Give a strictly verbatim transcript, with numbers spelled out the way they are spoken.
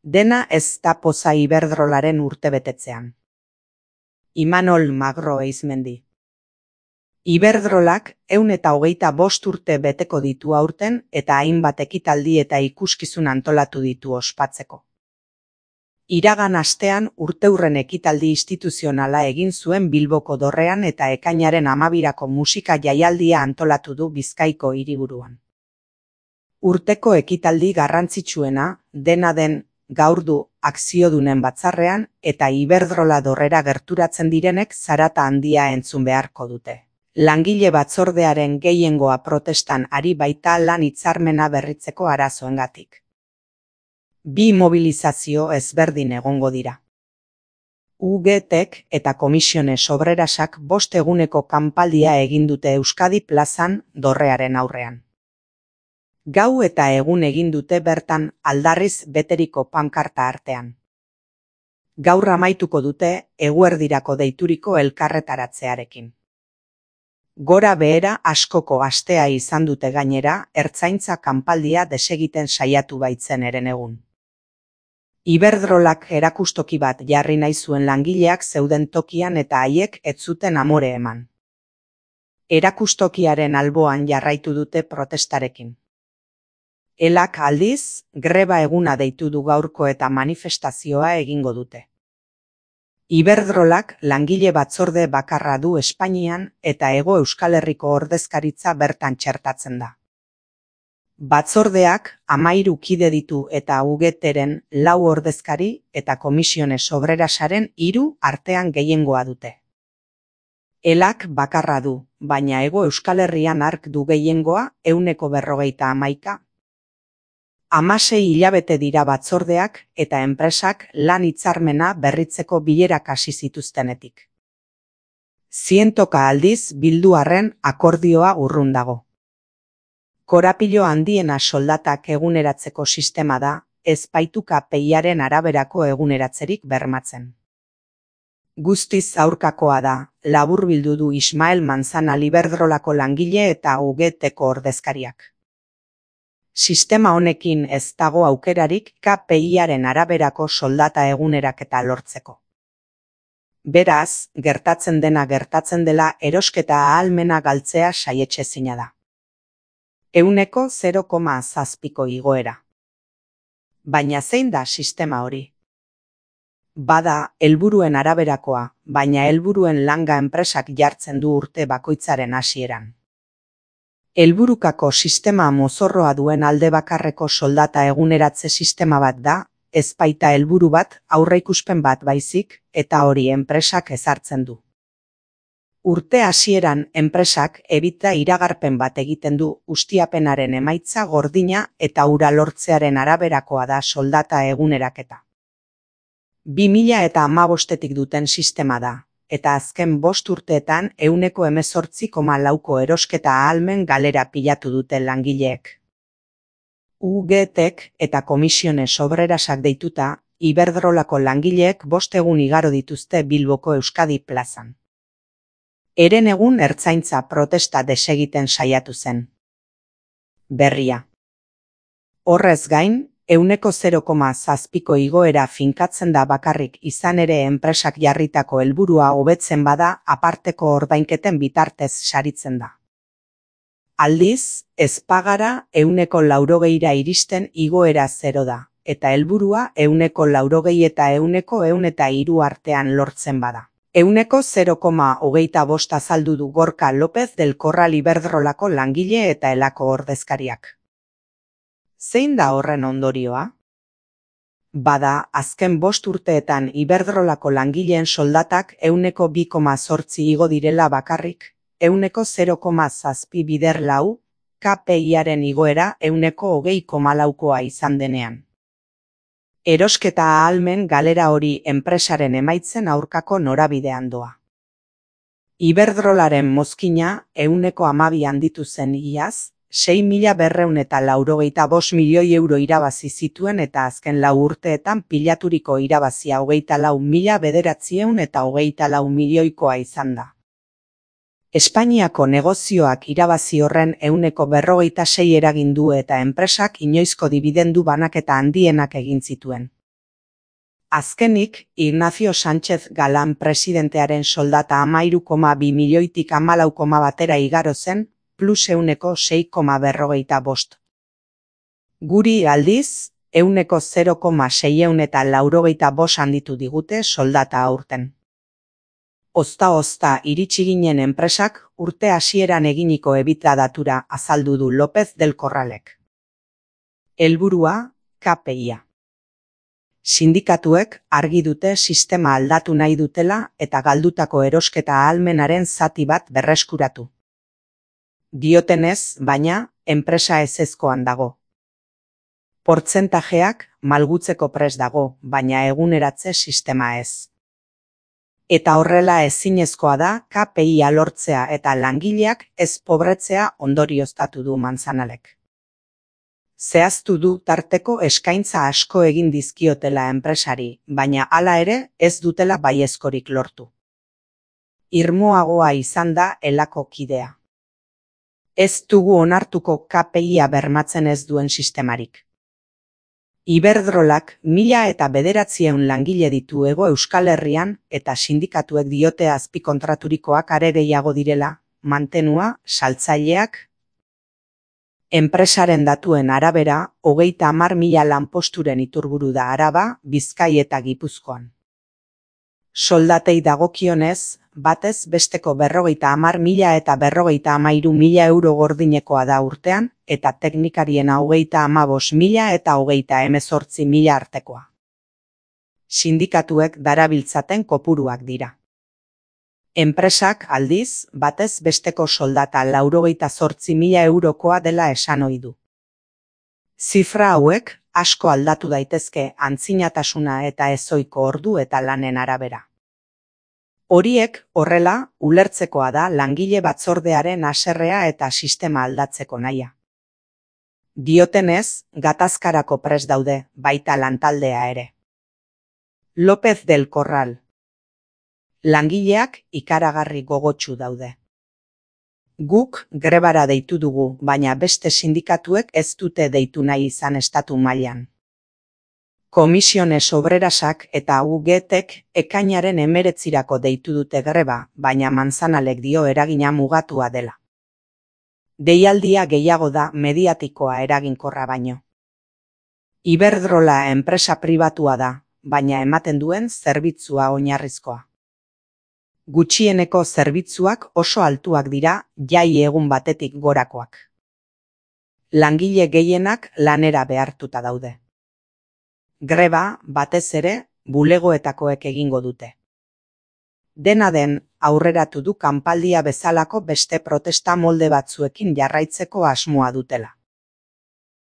Dena ez da poza Iberdrolaren urtebetetzean. Imanol Magro Eizmendi. Iberdrolak ehun eta hogeita bost urte beteko ditu aurten eta hainbat ekitaldi eta ikuskizun antolatu ditu ospatzeko. Iragan astean urteurren ekitaldi instituzionala egin zuen Bilboko Dorrean eta ekainaren hamabirako musika jaialdia antolatu du Bizkaiko hiriburuan. Urteko ekitaldi garrantzitsuena, dena den, gaur du akziodunen batzarrean eta Iberdrola Dorrera gerturatzen direnek zarata handia entzun beharko dute. Langile batzordearen gehiengoa protestan ari baita lan hitzarmena berritzeko arazoengatik. Bi mobilizazio ezberdin egongo dira. U G Tek eta Komisiones Obrerasak bost eguneko kanpaldia egin dute Euskadi plazan Dorrearen aurrean. Gau eta egun egin dute bertan aldarriz beteriko pankarta artean. Gaur amaituko dute eguerdirako deituriko elkarretaratzearekin. Gora behera askoko astea izan dute gainera ertzaintza kanpaldia desegiten saiatu baitzen eren egun. Iberdrolak erakustoki bat jarri nahi zuen langileak zeuden tokian eta haiek ez zuten amore eman. Erakustokiaren alboan jarraitu dute protestarekin. Elak aldiz, greba eguna deitu du gaurko eta manifestazioa egingo dute. Iberdrolak langile batzorde bakarra du Espainian eta Hego Euskal Herriko ordezkaritza bertan txertatzen da. Batzordeak hamairu kide ditu eta U G Teren lau ordezkari eta Komisiones Obrerasaren hiru artean gehiengoa dute. Elak bakarra du, baina Hego Euskal Herrian hark du gehiengoa ehuneko berrogeita hamaika. Hamasei hilabete dira batzordeak eta enpresak lan hitzarmena berritzeko bilerak hasi zituztenetik. Zientoka aldiz bildu arren akordioa urrun dago. Korapilo handiena soldatak eguneratzeko sistema da, ez baitu K P I-aren araberako eguneratzerik bermatzen. Guztiz aurkakoa da, laburbildu du Ismael Manzana Iberdrolako langile eta U G Teko ordezkariak. Sistema honekin ez dago aukerarik K P I-aren araberako soldata eguneraketa lortzeko. Beraz, gertatzen dena gertatzen dela erosketa ahalmena galtzea saietsezina da. Ehuneko zero koma zazpiko igoera. Baina zein da sistema hori? Bada, helburuen araberakoa, baina helburuen langa enpresak jartzen du urte bakoitzaren hasieran. Helburukako sistema mozorroa duen alde bakarreko soldata eguneratze sistema bat da, ez baita helburu bat, aurreikuspen bat baizik, eta hori enpresak ezartzen du. Urte hasieran enpresak ebita iragarpen bat egiten du ustiapenaren emaitza gordina eta hura lortzearen araberakoa da soldata eguneraketa. Bi mila eta hamabostetik duten sistema da. Eta azken bost urteetan ehuneko hemezortzi koma lauko erosketa ahalmen galera pilatu dute langileek. U G Tek eta Komisiones Obrerasak deituta, Iberdrolako langileek bost egun igaro dituzte Bilboko Euskadi plazan. Eren egun ertzaintza protesta desegiten saiatu zen. Berria. Horrez gain, ehuneko zero koma zazpiko igoera finkatzen da bakarrik izan ere enpresak jarritako helburua hobetzen bada aparteko ordainketen bitartez saritzen da. Aldiz, ez pagara ehuneko laurogeira iristen igoera zero da, eta helburua ehuneko laurogei eta ehuneko ehun eta hiru artean lortzen bada. Ehuneko zero koma hogeita bost azaldu du Gorka López del Corral Iberdrolako langile eta elako ordezkariak. Zein da horren ondorioa? Bada, azken bost urteetan Iberdrolako langileen soldatak ehuneko bi koma zortzi igo direla bakarrik, ehuneko zero koma zazpi bider lau, K P I-aren igoera ehuneko hogei koma laukoa izan denean. Erosketa ahalmen galera hori enpresaren emaitzen aurkako norabidean doa. Iberdrolaren mozkina ehuneko hamabi handitu zen iaz, sei mila berrehun eta laurogeita bost milioi euro irabazi zituen eta azken lau urteetan pilaturiko irabazia hogeita lau mila bederatziehun eta hogeita lau milioikoa izan da. Espainiako negozioak irabazi horren ehuneko berrogeita sei eragin du eta enpresak inoizko dibidendu banaketa handienak egin zituen. Azkenik, Ignacio Sánchez Galán presidentearen soldata hamairu koma bi milioitik hamalau koma batera igaro zen, plus euneko sei koma berrogeita bost. Guri aldiz, euneko zero koma seiehun eta laurogeita bost handitu digute soldata aurten. Ozta-ozta iritsi ginen enpresak urte hasieran eginiko ebita datura azaldu du López del Corralek. Helburua, K P I-a. Sindikatuek argi dute sistema aldatu nahi dutela eta galdutako erosketa ahalmenaren zati bat berreskuratu. Diotenez, baina, enpresa ezezkoan dago. Portzentajeak malgutzeko prest dago, baina eguneratze sistema ez. Eta horrela ezinezkoa da K P I-a lortzea eta langileak ez pobretzea ondorioztatu du Manzanalek. Zehaztu du tarteko eskaintza asko egin dizkiotela enpresari, baina hala ere ez dutela baiezkorik lortu. Irmoagoa izan da elako kidea. Ez dugu onartuko K P I-a bermatzen ez duen sistemarik. Iberdrolak mila eta bederatzieun langile ditu Hego Euskal Herrian eta sindikatuek diote azpikontraturikoak are gehiago direla, mantenua, saltzaileak. Enpresaren datuen arabera, hogeita hamar mila lanposturen iturburu da Araba, Bizkai eta Gipuzkoan. Soldatei dagokionez, batez besteko berrogeita hamar mila eta berrogeita hamairu mila euro gordinekoa da urtean, eta teknikarien hogeita hamabost mila eta hogeita hemezortzi mila artekoa. Sindikatuek darabiltzaten kopuruak dira. Enpresak aldiz, batez besteko soldata laurogeita zortzi mila eurokoa dela esan ohi du. Zifra hauek asko aldatu daitezke antzinatasuna eta ezohiko ordu eta lanen arabera. Horiek, horrela, ulertzekoa da langile batzordearen haserrea eta sistema aldatzeko nahia. Diotenez, gatazkarako prest daude, baita lantaldea ere. López del Corral. Langileak ikaragarri gogotsu daude. Guk grebara deitu dugu, baina beste sindikatuek ez dute deitu nahi izan estatu mailan. Komisiones Obrerasak eta U G T-ek ekainaren hemeretzirako deitu dute greba, baina Manzanalek dio eragina mugatua dela. Deialdia gehiago da mediatikoa eraginkorra baino. Iberdrola enpresa pribatua da, baina ematen duen zerbitzua oinarrizkoa. Gutxieneko zerbitzuak oso altuak dira jai egun batetik gorakoak. Langile gehienak lanera behartuta daude. Greba, batez ere, bulegoetakoek egingo dute. Dena den, aurreratu du kanpaldia bezalako beste protesta molde batzuekin jarraitzeko asmoa dutela.